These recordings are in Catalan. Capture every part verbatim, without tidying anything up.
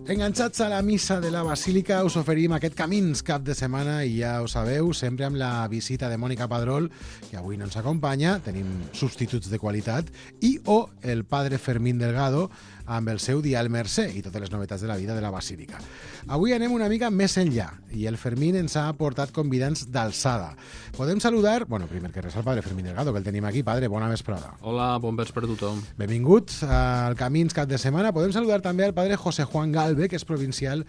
Enganxats a la missa de la Basílica, us oferim aquest Camins cap de setmana i ja ho sabeu, sempre amb la visita de Mònica Padrol, que avui no ens acompanya, tenim substituts de qualitat, i o el padre Fermín Delgado amb el seu Dial Mercè i totes les novetats de la vida de la Basílica. Avui anem una mica més enllà i el Fermín ens ha portat convidats d'alçada. Podem saludar, bueno, primer que res al padre Fermín Delgado, que el tenim aquí. Padre, bona vesprada. Hola, bon vespre a tothom. Benvinguts al Camins cap de setmana. Podem saludar també al padre José Juan Galve, que és provincial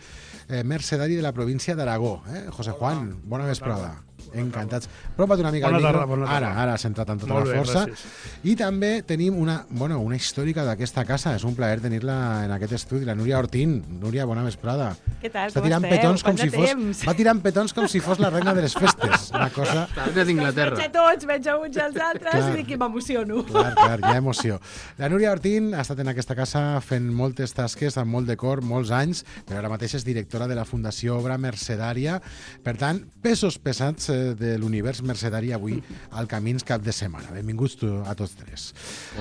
eh, mercedari de la província d'Aragó. Eh? José Juan, bona vesprada. Encantats. Apropa't una mica al micro. Tarda, bona tarda. Ara, ara has entrat amb tota Molt la bé, força. gràcies. I també tenim una, bueno, una històrica d'aquesta casa. És un plaer tenir-la en aquest estudi, la Núria Ortín. Núria, bona vesprada. Què tal, Està com tirant esteu? petons com Quant si de fos, temps? va tirant petons com si fos la reina de les festes. Una cosa... Des d'Inglaterra. Veig a tots, veig a uns i als altres Clar. i dic que m'emociono. Clar, clar, hi ha emoció. La Núria Ortín ha estat en aquesta casa fent moltes tasques amb molt de cor, molts anys, però ara mateix és directora de la Fundació Obra Mercedària. Per tant, pesos pesats eh, de l'univers mercedari avui al Camins cap de setmana. Benvinguts tu, a tots tres.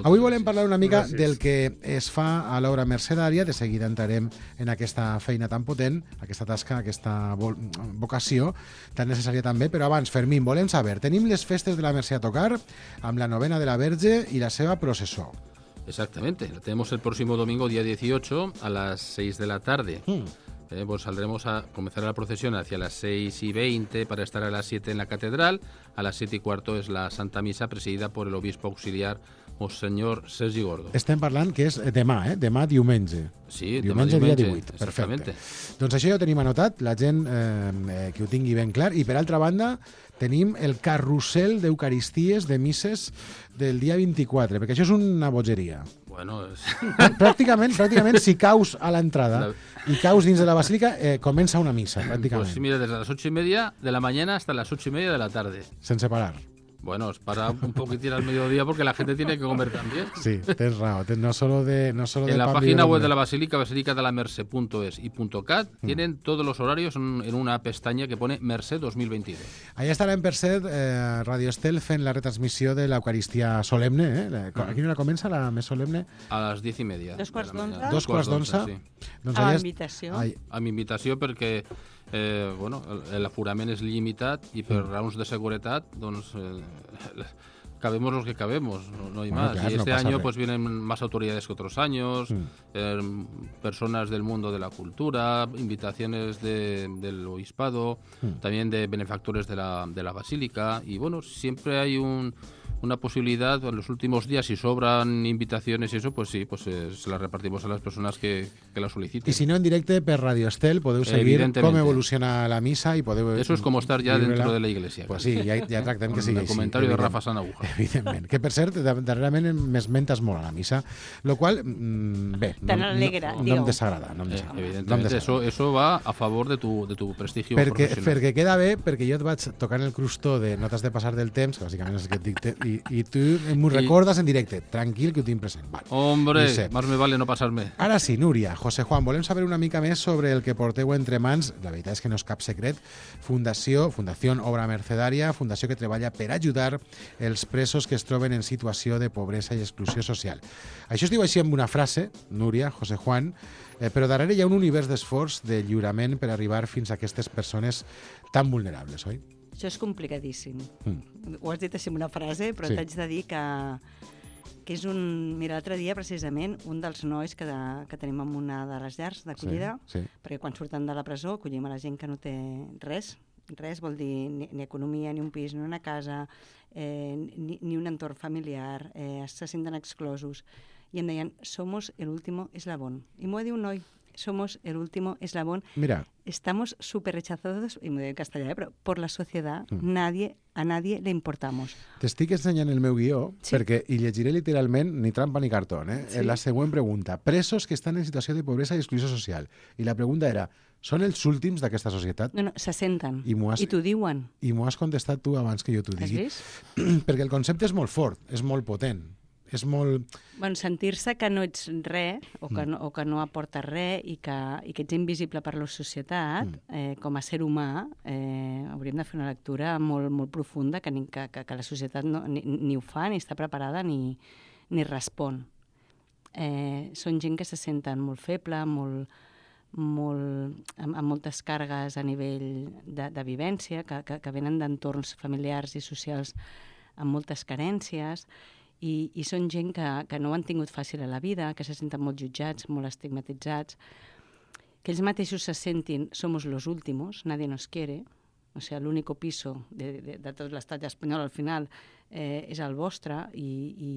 Avui volem parlar una mica Gràcies. del que es fa a l'obra mercedària. De seguida entrarem en aquesta feina tan potent, aquesta tasca, aquesta vo vocació tan necessària també. Però abans, Fermín, volem saber, tenim les festes de la Mercè a tocar amb la novena de la Verge i la seva processó. Exactamente. La tenemos el próximo domingo, día dieciocho, a las seis de la tarde. Mm. Eh, pues saldremos a comenzar la procesión hacia las seis y veinte para estar a las siete en la catedral. A las siete y cuarto es la Santa Misa presidida por el obispo auxiliar Monseñor Sergi Gordo. Estem parlant que és demà, eh? Demà diumenge. Sí, Diumenge, demà dia diumenge, divuit. Perfecte. exactamente. Doncs això ja ho tenim anotat, la gent eh, que ho tingui ben clar. I per altra banda, tenim el carrusel d'eucaristies de misses del dia vint-i-quatre, perquè això és una bogeria. Bueno, es... Pràcticament, pràcticament si caus a l'entrada La- i caus dins de la basílica, eh, comença una missa, pràcticament, pues sí, mira, desde las ocho y media de la mañana hasta las ocho y media de la tarde. sense parar. Bueno, es para un poquitín al mediodía porque la gente tiene que comer también. Sí, tens raó, tens- no solo de, no solo de En la pan página vive web el de la hombre. Basílica, basílica de la merced punto es y .cat, tienen todos los horarios en, en una pestaña que pone Merced dos mil veintidós. Allà estarà en Percet, eh, Radio Estel, fent la retransmissió de l'Eucaristia solemne. Eh? La- A quina hora comença la més solemne? A las diez y media. Dos quarts de la mañana. d'onze? Dos quarts d'onze. Sí. Doncs A allà la est- invitació. Ai, A mi invitació perquè eh, bueno, el- l'aforament és limitat i per raons de seguretat doncs, eh, cabemos los que cabemos, no, no hay Bueno, más. claro, y no este pasa año res. pues vienen más autoridades que otros años, Mm. eh, personas del mundo de la cultura, invitaciones de- del obispado, Mm. también de benefactores de la, de la basílica y bueno, siempre hay un, una posibilidad, en los últimos días si sobran invitaciones y eso, pues sí, pues eh, se las repartimos a las personas que, que las soliciten. I si no en directe per Radio Estel podeu seguir Evidentemente. com evoluciona la missa i podeu... Eso es como estar ya viure-la. dentro de la iglesia. Pues sí, ja, ja tractem que Con sigui el així. comentario de evident. Rafa Sanaguja. Evidentment. Que, per cert, da- darrerament m'esmentes molt a la missa, lo qual, mm, bé, Te no, n'alegra, no, no em digue-ho. desagrada. No em Eh, desagrada. No em evidentemente, desagrada. eso, eso va a favor de tu, de tu prestigio Perquè, profesional. perquè queda bé, perquè jo et vaig tocant el crustó de no t'has de passar del temps, que bàsicament és el que et dicte, i, i tu m'ho I- recordes en directe. Tranquil, que ho tinc present. Vale. Hombre, Ho sé. más me vale no pasarme. Ara sí, Núria, José Juan, volem saber una mica més sobre el que porteu entre mans. La veritat és que no és cap secret. Fundació, Fundació Obra Mercedària, fundació que treballa per ajudar els presos que es troben en situació de pobresa i exclusió social. Això es diu així amb una frase, Núria, José Juan, eh, però darrere hi ha un univers d'esforç, de lliurament per arribar fins a aquestes persones tan vulnerables, oi? Això és complicadíssim. Mm. Ho has dit així amb una frase, però Sí. t'haig de dir que, que és un... Mira, l'altre dia, precisament, un dels nois que, de, que tenim en una de les llars d'acollida, Sí, sí. perquè quan surten de la presó acollim a la gent que no té res, res vol dir ni, ni economia, ni un pis, ni una casa, eh, ni, ni un entorn familiar, eh, se senten exclosos. I em deien, somos el último eslabón. I m'ho va dir un noi, somos el último eslabón. Mira, Estamos súper rechazados, y me digo en castellano, pero por la sociedad, Mm. nadie, a nadie le importamos. t'estic ensenyant el meu guió, Sí. perquè hi llegiré literalment ni trampa ni cartó. Eh? Sí. La següent pregunta. Presos que estan en situació de pobresa i exclusió social. I la pregunta era, són els últims d'aquesta societat? No, no, se senten. I m'ho has- I t'ho diuen. I m'ho has contestat tu abans que jo t'ho Has digui. vist? Perquè el concepte és molt fort, és molt potent. és molt... Bueno, sentir-se que no ets res o que no, o que no aportes res i que, i que ets invisible per la societat, mm. eh, com a ser humà, eh, hauríem de fer una lectura molt, molt profunda que, ni, que, que, que la societat no, ni, ni ho fa, ni està preparada, ni, ni respon. Eh, són gent que se senten molt feble, molt, molt, amb, amb moltes càrregues a nivell de, de vivència, que, que, que venen d'entorns familiars i socials amb moltes carències, i, i són gent que, que no ho han tingut fàcil a la vida, que se senten molt jutjats, molt estigmatitzats, que ells mateixos se sentin somos los últimos, nadie nos quiere, o sigui, l'único piso de, de, de tot l'estat espanyol al final eh, és el vostre, i, i,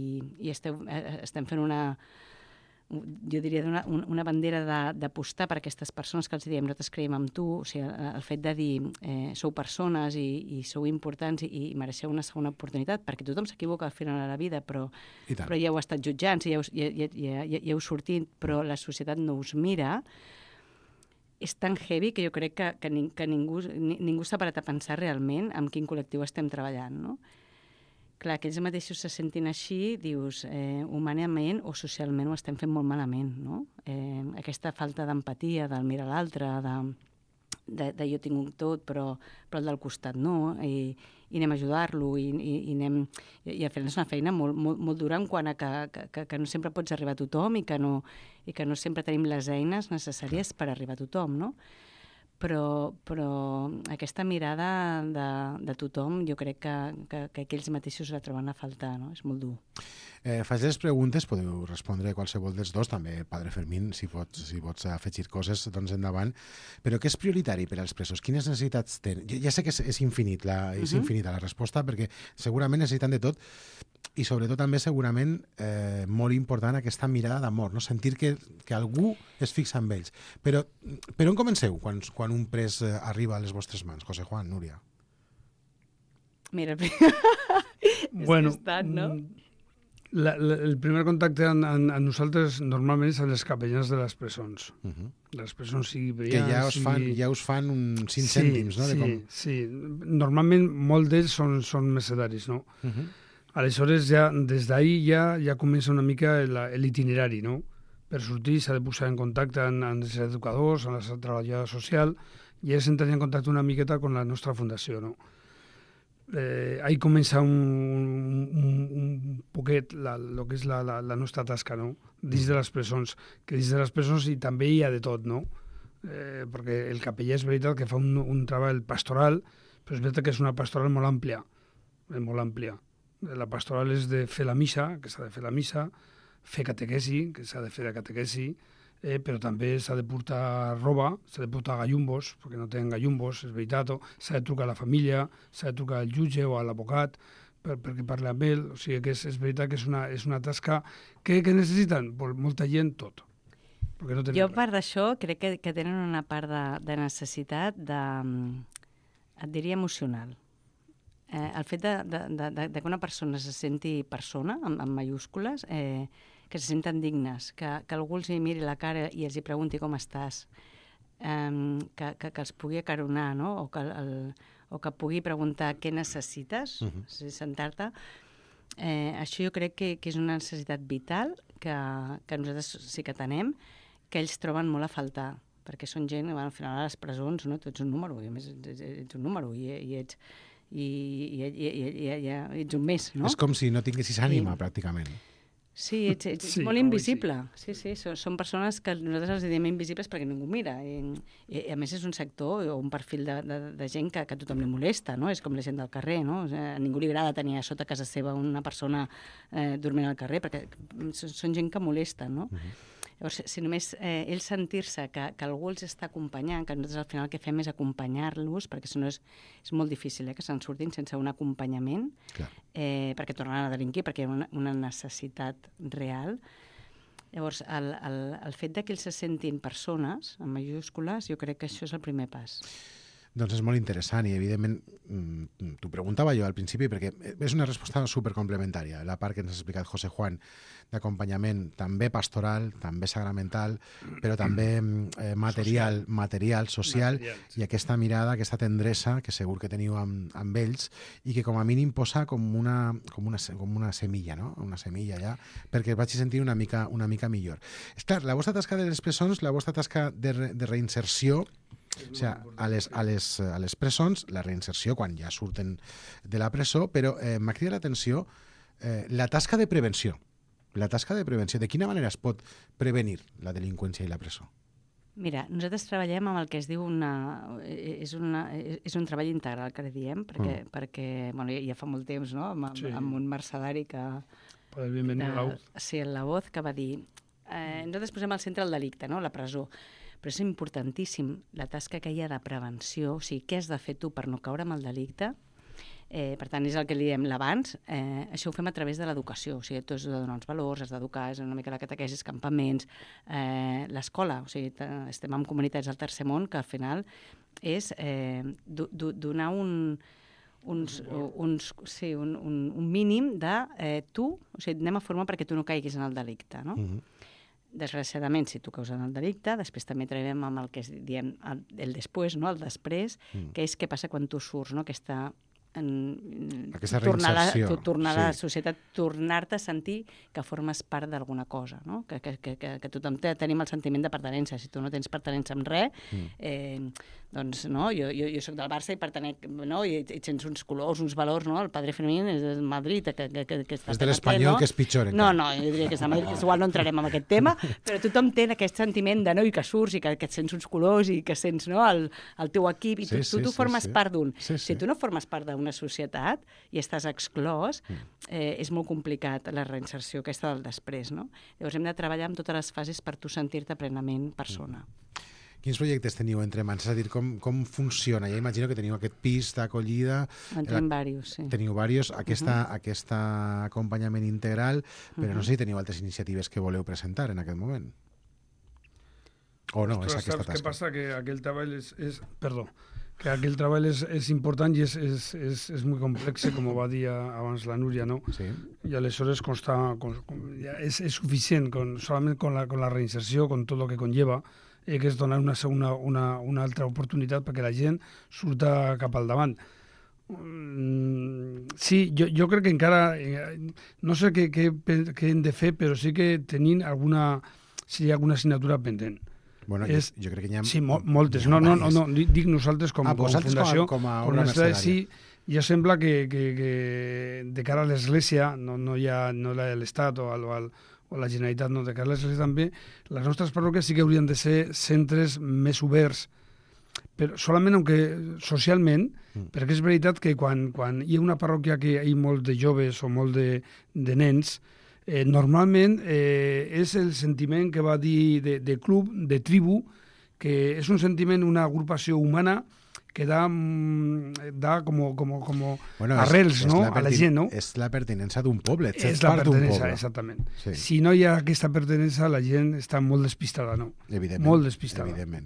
i esteu, eh, estem fent una, jo diria, una, una bandera d'apostar per aquestes persones que els diem, nosaltres creiem en tu, o sigui, el fet de dir eh, sou persones i, i sou importants i, i mereixeu una segona oportunitat, perquè tothom s'equivoca al final de la vida, però, però ja heu estat jutjant, ja heu, ja, ja, ja, ja, ja heu sortit, però la societat no us mira, és tan heavy que jo crec que, que, ning, que ningú, ni, ningú s'ha parat a pensar realment en quin col·lectiu estem treballant, no? Clar, que ells mateixos se sentin així, dius, eh, humanament o socialment ho estem fent molt malament, no? Eh, aquesta falta d'empatia, del mirar l'altre, de, de, de jo tinc un tot, però, però el del costat no, i, i anem a ajudar-lo, i, i, i anem... I, i al final és una feina molt, molt, molt dura en quant a que, que, que no sempre pots arribar a tothom i que no, i que no sempre tenim les eines necessàries per arribar a tothom, no? Però, però aquesta mirada de, de tothom jo crec que, que, que aquells mateixos la troben a faltar, no? És molt dur. Eh, faig les preguntes, podeu respondre qualsevol dels dos, també Padre Fermín, si pots, si pots afegir coses, doncs endavant. Però què és prioritari per als presos? Quines necessitats tenen? Jo ja sé que és, és, infinit la, és uh-huh. infinita la resposta, perquè segurament necessiten de tot, i sobretot també segurament eh, molt important aquesta mirada d'amor, no? Sentir que, que algú es fixa en ells. Però per on comenceu quan, quan un pres eh, arriba a les vostres mans? José Juan, Núria. Mira, bueno, és estat, no? La, la, el primer contacte amb, amb, amb nosaltres normalment és a les capellans de les presons. Uh-huh. De les presons sigui que ja us, fan, sigui... ja us fan uns cinc sí, cèntims, no? De sí, com... sí. Normalment molt d'ells són, són mercedaris, no? Uh-huh. Aleshores, ja, des d'ahir ja, ja comença una mica l'itinerari, no? Per sortir s'ha de posar en contacte amb, amb els educadors, amb la treballadora social, i ells entren en contacte una miqueta amb la nostra fundació, no? Eh, ahí comença un, un, un poquet la, lo que és la, la, la nostra tasca, no? Dins de les presons, que dins de les presons i també hi ha de tot, no? Eh, perquè el capellà és veritat que fa un, un treball pastoral, però és veritat que és una pastoral molt àmplia, molt àmplia. La pastoral és de fer la missa, que s'ha de fer la missa, fer catequesi, que s'ha de fer la catequesi, eh, però també s'ha de portar roba, s'ha de portar gallumbos, perquè no tenen gallumbos, és veritat, s'ha de trucar a la família, s'ha de trucar al jutge o a l'advocat per, perquè parli amb ell, o sigui que és, és veritat que és una, és una tasca que, que necessiten molta gent tot. No jo, a part d'això, crec que, que tenen una part de, de necessitat de, et diria, emocional. Eh, el fet de, de, de, de que una persona se senti persona, amb, amb mayúscules, eh, que se senten dignes, que, que algú els hi miri la cara i els hi pregunti com estàs, eh, que, que, que els pugui acaronar, no? O que, el, o que pugui preguntar què necessites, uh-huh. si sentar-te. Eh, això jo crec que, que és una necessitat vital que, que nosaltres sí que tenem, que ells troben molt a faltar, perquè són gent, bueno, al final a les presons, no? Tu ets un número, i a més ets, ets un número, i, i ets... I, i, i, i, i, i, i ets un més, no? És com si no tinguessis ànima, I... pràcticament. Sí, ets, ets sí, molt invisible. Sí, sí, són, són persones que nosaltres els diem invisibles perquè ningú mira. I, i a més és un sector o un perfil de, de, de gent que, que a tothom li molesta, no? És com la gent del carrer, no? O sigui, a ningú li agrada tenir a sota casa seva una persona eh, dormint al carrer, perquè són gent que molesta, no? Uh-huh. Llavors, si només eh, ells sentir-se que, que algú els està acompanyant, que nosaltres al final el que fem és acompanyar-los, perquè si no és, és molt difícil eh, que se'n surtin sense un acompanyament, eh, perquè tornaran a delinquir, perquè hi ha una, una necessitat real. Llavors, el, el, el fet de que ells se sentin persones, en majúscules, jo crec que això és el primer pas. Doncs és molt interessant i, evidentment, t'ho preguntava jo al principi perquè és una resposta supercomplementària. La part que ens ha explicat José Juan d'acompanyament també pastoral, també sacramental, però també eh, material, social. material, social, material, sí. I aquesta mirada, aquesta tendresa que segur que teniu amb, amb ells i que com a mínim posa com una, com una, com una semilla, no? Una semilla ja, perquè es vagi sentir una mica, una mica millor. És clar, la vostra tasca de les presons, la vostra tasca de, re, de reinserció, o sigui, a les, a, les, a les presons, la reinserció quan ja surten de la presó, però eh, m'ha cridat l'atenció eh, la tasca de prevenció. La tasca de prevenció. De quina manera es pot prevenir la delinqüència i la presó? Mira, nosaltres treballem amb el que es diu una... És, una, és un treball integral, que diem, perquè, mm. perquè bueno, ja fa molt temps, no?, amb, sí. amb un mercedari que... Poder bienvenir a la voz. Sí, la voz, que va dir... Eh, nosaltres posem al centre el delicte, no?, la presó. Però és importantíssim la tasca que hi ha de prevenció, o sigui, què has de fer tu per no caure en el delicte. Eh, per tant, és el que li diem l'abans. Eh, això ho fem a través de l'educació, o sigui, tu has de donar uns valors, has d'educar, és una mica la catequesis, campaments, eh, l'escola, o sigui, estem en comunitats del tercer món, que al final és eh, do, do, donar un... Uns, uns, sí, un, un, un mínim de eh, tu, o sigui, anem a formar perquè tu no caiguis en el delicte, no? Mm-hmm. Desgraciadament, si tu caus en el delicte, després també treballem amb el que es diem el, el després, no? El després, mm. que és què passa quan tu surts, no? Aquesta, en, Aquesta tornar reinserció. La, tornar sí. a la societat, tornar-te a sentir que formes part d'alguna cosa, no? Que, que, que, que tothom té, tenim el sentiment de pertenença. Si tu no tens pertenença amb res, mm. eh, doncs, no, jo, jo, jo soc del Barça i pertenec, no, i, i tens uns colors, uns valors, no? El padre Fermín és del Madrid, que, que, que, que està... És de l'Espanyol, no? Que és pitjor, encara. No, no, jo diria que és de Madrid, que igual no entrarem en aquest tema, però tothom té aquest sentiment de no, i que surts i que, que et sents uns colors i que sents, no, el, el teu equip, i tu, sí, tu, tu sí, formes sí, part d'un. Sí, sí. Si tu no formes part d'una societat i estàs exclòs, eh, és molt complicat la reinserció aquesta del després, no? Llavors hem de treballar amb totes les fases per tu sentir-te plenament persona. Quins projectes teniu entre mans? És a dir, com, com funciona? Ja imagino que teniu aquest pis d'acollida. En tenim diversos, sí. Teniu diversos, aquesta, uh -huh. aquest acompanyament integral, però uh -huh. no sé si teniu altres iniciatives que voleu presentar en aquest moment. O no, Ostres, és aquesta saps tasca. Què passa? Que aquell treball és... és perdó, que aquell treball és, és important i és, és, és, és molt complex, com va dir abans la Núria, no? Sí. I aleshores consta, con, con, ja és, és suficient, con, solament con la, con la reinserció, con tot el que conlleva, eh, que és donar una, una, una, una altra oportunitat perquè la gent surta cap al davant. Mm, sí, jo, jo crec que encara... Eh, no sé què, què, què hem de fer, però sí que tenim alguna... si hi ha alguna assignatura pendent. Bueno, és, jo, jo crec que hi ha... Sí, mo moltes. No, no, no, no, dic nosaltres com, ah, com a fundació. Com a, com a obra mercedària. Sí, ja sembla que, que, que de cara a l'Església, no, no hi ha no l'Estat o, al, o, al, o la Generalitat, no, de cara a l'Església també, les nostres parròquies sí que haurien de ser centres més oberts, però solament aunque socialment, mm. perquè és veritat que quan, quan hi ha una parròquia que hi ha molt de joves o molt de, de nens, Eh, normalment eh, és el sentiment que va dir de, de club, de tribu, que és un sentiment, una agrupació humana que da, da como, como, como bueno, arrels, és, no? És a la gent, no? És la pertinença d'un poble, ets és part d'un poble. Exactament. Sí. Si no hi ha aquesta pertinença, la gent està molt despistada, no? Evidentment. Molt despistada. Evidentment.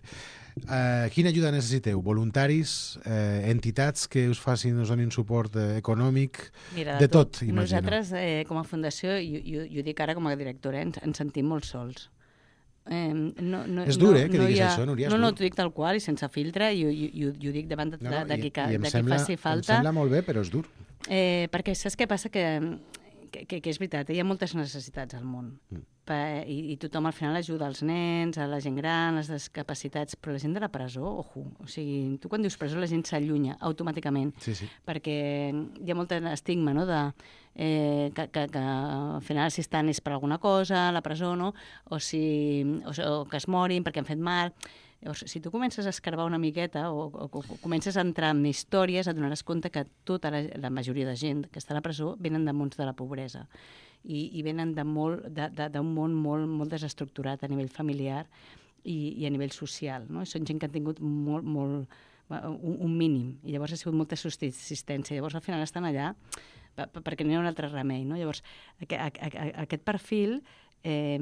Uh, quina ajuda necessiteu? Voluntaris, eh, entitats que us facin, us donin suport eh, econòmic, Mira, de, de tot, tot, imagino. Nosaltres, eh, com a fundació, i jo, jo dic ara com a directora, ens, ens sentim molt sols. Eh, no, no, és dur, no, eh, que no diguis ha... això, Núria. No, no, t'ho dic tal qual i sense filtre, i, i, i, i ho dic davant de, no, no, de, de, qui, i, i de sembla, qui faci falta. Em sembla molt bé, però és dur. Eh, perquè saps què passa? Que, que, que, que és veritat, hi ha moltes necessitats al món. Mm. I, i tothom al final ajuda als nens, a la gent gran, a les discapacitats, però la gent de la presó, ojo, o sigui, tu quan dius presó la gent s'allunya automàticament, sí, sí. perquè hi ha molt estigma, no?, de, eh, que, que, que al final si estan és per alguna cosa, a la presó, no?, o, si, o, o que es morin perquè han fet mal. Llavors, si tu comences a escarbar una miqueta o, o, o comences a entrar en històries, et donaràs compte que tota la, la majoria de gent que està a la presó venen de mons de la pobresa i, i venen d'un món molt, molt desestructurat a nivell familiar i, i a nivell social, no? Són gent que han tingut molt, molt, un, un mínim i llavors ha sigut molta subsistència. Llavors al final estan allà perquè no hi ha un altre remei, no? Llavors aquest, aquest perfil eh,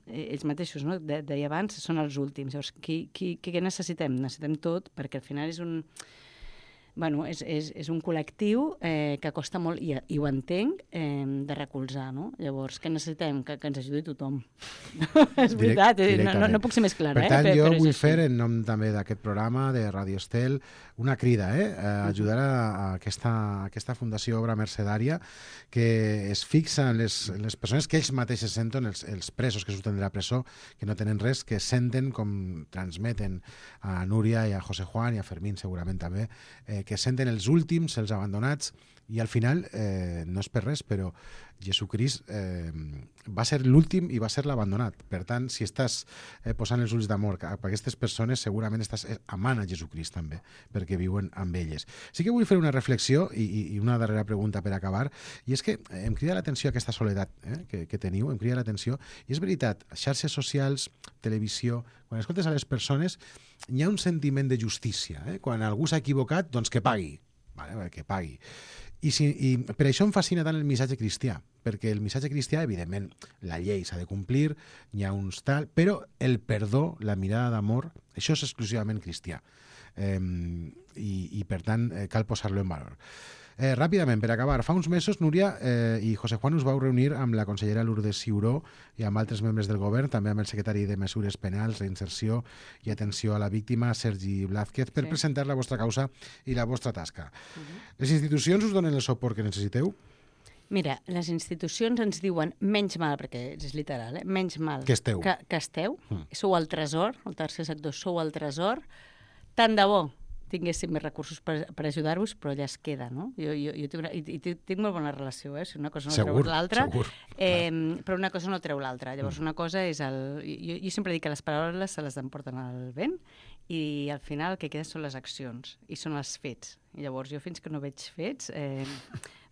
ells mateixos, no? De, deia abans, són els últims. Llavors, qui, qui, què necessitem? Necessitem tot, perquè al final és un... Bueno, és, és, és un col·lectiu eh, que costa molt, i, i ho entenc, eh, de recolzar, no? Llavors, què necessitem? Que, que ens ajudi tothom. És veritat, eh? no, no, no puc ser més clara. Per tant, eh? jo però vull fer, en nom també d'aquest programa de Radio Estel, una crida, eh? a ajudar a, a, aquesta, a aquesta Fundació Obra Mercedària, que es fixa en les, en les persones que ells mateixos senten, els, els presos que surten de la presó, que no tenen res, que senten com transmeten a Núria i a José Juan i a Fermín segurament també, eh, que senten els últims, els abandonats, i al final, eh, no és per res, però Jesucrist eh, va ser l'últim i va ser l'abandonat. Per tant, si estàs eh, posant els ulls d'amor cap a aquestes persones, segurament estàs amant a Jesucrist també, perquè viuen amb elles. Sí que vull fer una reflexió i, i una darrera pregunta per acabar, i és que em crida l'atenció aquesta soledat eh, que, que teniu, em crida l'atenció, i és veritat, xarxes socials, televisió, quan escoltes a les persones, hi ha un sentiment de justícia. Eh? Quan algú s'ha equivocat, doncs que pagui. Vale? Que pagui. I, si, I per això em fascina tant el missatge cristià, perquè el missatge cristià, evidentment, la llei s'ha de complir, hi ha uns tal, però el perdó, la mirada d'amor, això és exclusivament cristià. Eh, i, I, per tant, eh, cal posar-lo en valor. Eh, ràpidament, per acabar, fa uns mesos Núria eh, i José Juan us vau reunir amb la consellera Lourdes Ciuró i amb altres membres del govern, també amb el secretari de Mesures Penals, Reinserció i Atenció a la Víctima, Sergi Blázquez, per sí. presentar la vostra causa i la vostra tasca. Uh-huh. Les institucions us donen el suport que necessiteu? Mira, les institucions ens diuen menys mal, perquè és literal, eh? menys mal que esteu. Que, que esteu. Mm. Sou el tresor, el tercer sector, sou el tresor. Tant de bo tinguéssim més recursos per, per ajudar-vos, però ja es queda, no? Jo, jo, jo tinc, una, i, i tinc molt bona relació, eh? Si una cosa no segur, treu l'altra, eh, clar. Però una cosa no treu l'altra. Llavors, una cosa és el... Jo, jo sempre dic que les paraules se les emporten al vent i al final el que queda són les accions i són els fets. I llavors jo fins que no veig fets, eh,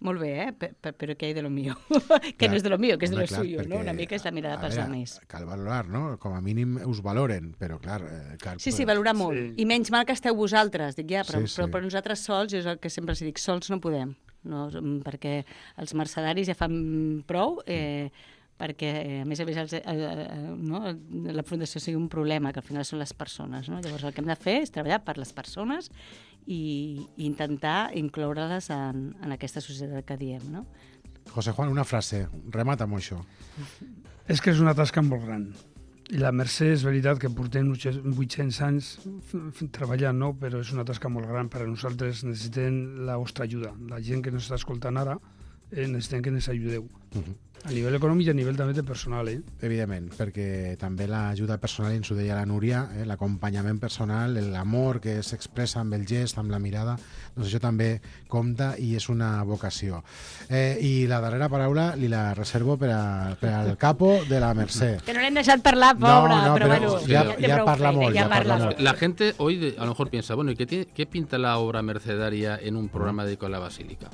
molt bé, eh? P -p però què hi de lo mío? que clar, no és de lo mío, que és de lo suyo, perquè, no? Una mica és la mirada pels altres. Cal valorar, no? Com a mínim us valoren, però clar... Eh, cal... Sí, sí, valorar molt. Sí. I menys mal que esteu vosaltres, dic ja, però, sí, sí. però per nosaltres sols, jo és el que sempre els dic, sols no podem, no? Perquè els mercedaris ja fan prou, eh, perquè, a més a més, els, el, el, no? la Fundació sigui un problema, que al final són les persones, no? Llavors el que hem de fer és treballar per les persones i, i intentar incloure-les en, en aquesta societat que diem, no? José Juan, una frase, remata amb això. És que és una tasca molt gran. I la Mercè és veritat que portem vuit-cents anys treballant, no? Però és una tasca molt gran per a nosaltres. Necessitem la vostra ajuda. La gent que ens està escoltant ara eh, necessitem que ens ajudeu. Uh-huh. A nivell econòmic i a nivell també de personal, eh? Evidentment, perquè també l'ajuda personal, ens ho deia la Núria, eh, l'acompanyament personal, l'amor que s'expressa amb el gest, amb la mirada, doncs això també compta i és una vocació. Eh, I la darrera paraula li la reservo per, a, per al capo de la Mercè. Que no l'hem deixat parlar, pobre, no, no, però, però bueno, ja, ja, ja, ja parla molt, ja ja parla parla molt. La gente hoy de, a lo mejor piensa, bueno, ¿y qué, tiene, qué pinta la obra mercedaria en un programa dedicado a la Basílica?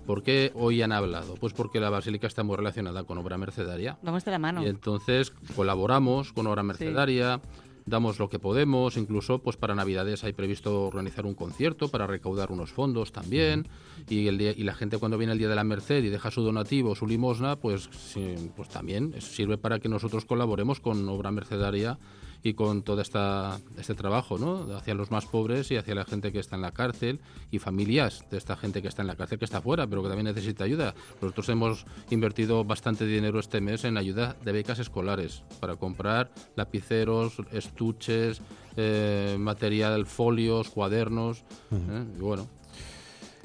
¿Por qué hoy han hablado? Pues porque la Basílica está muy relacionada con obra mercedaria. Vamos de la mano. Y entonces colaboramos con obra mercedaria, sí. Damos lo que podemos, incluso pues para Navidades hay previsto organizar un concierto para recaudar unos fondos también, y, el día, y la gente cuando viene el Día de la Merced y deja su donativo, su limosna, pues, sí, pues también sirve para que nosotros colaboremos con obra mercedaria y con todo esta, este trabajo, ¿no? Hacia los más pobres y hacia la gente que está en la cárcel y familias de esta gente que está en la cárcel, que está fuera, pero que también necesita ayuda. Nosotros hemos invertido bastante dinero este mes en ayuda de becas escolares para comprar lapiceros, estuches, eh, material, folios, cuadernos, uh-huh. eh, y bueno.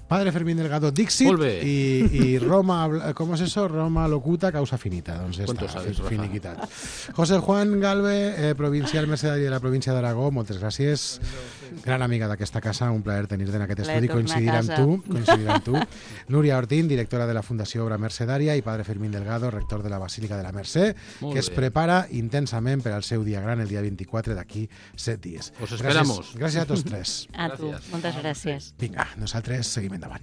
Padre Fermín Delgado, Dixit, y, y Roma, ¿cómo es eso? Roma locuta, causa finita. Doncs està, sabes, finiquitat. José Juan Galve, eh, provincial mercedari de la província d'Aragó, moltes gràcies. Gran amiga d'aquesta casa, un plaer tenir-te en aquest estudi, coincidir amb tu. Coincidir amb tu. Núria Ortín, directora de la Fundació Obra Mercedària, i Padre Fermín Delgado, rector de la Basílica de la Mercè, Molt que es bé. prepara intensament per al seu dia gran, el dia vint-i-quatre d'aquí set dies. Os esperamos. Gràcies, gràcies a tots tres. A tu, moltes gràcies. Vinga, nosaltres seguim endavant.